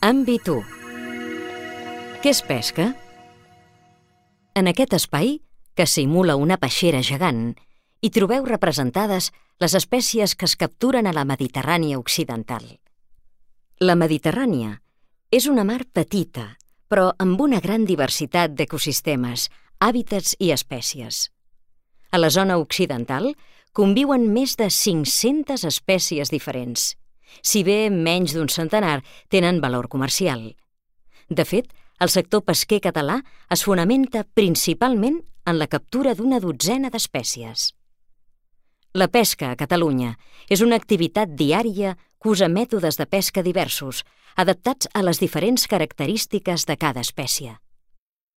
Àmbit 1. Què es pesca? En aquest espai, que simula una peixera gegant, hi trobeu representades les espècies que es capturen a la Mediterrània occidental. La Mediterrània és una mar petita, però amb una gran diversitat d'ecosistemes, hàbitats i espècies. A la zona occidental conviuen més de 500 espècies diferents, si bé menys d'un centenar tenen valor comercial. De fet, el sector pesquer català es fonamenta principalment en la captura d'una dotzena d'espècies. La pesca a Catalunya és una activitat diària que usa mètodes de pesca diversos, adaptats a les diferents característiques de cada espècie.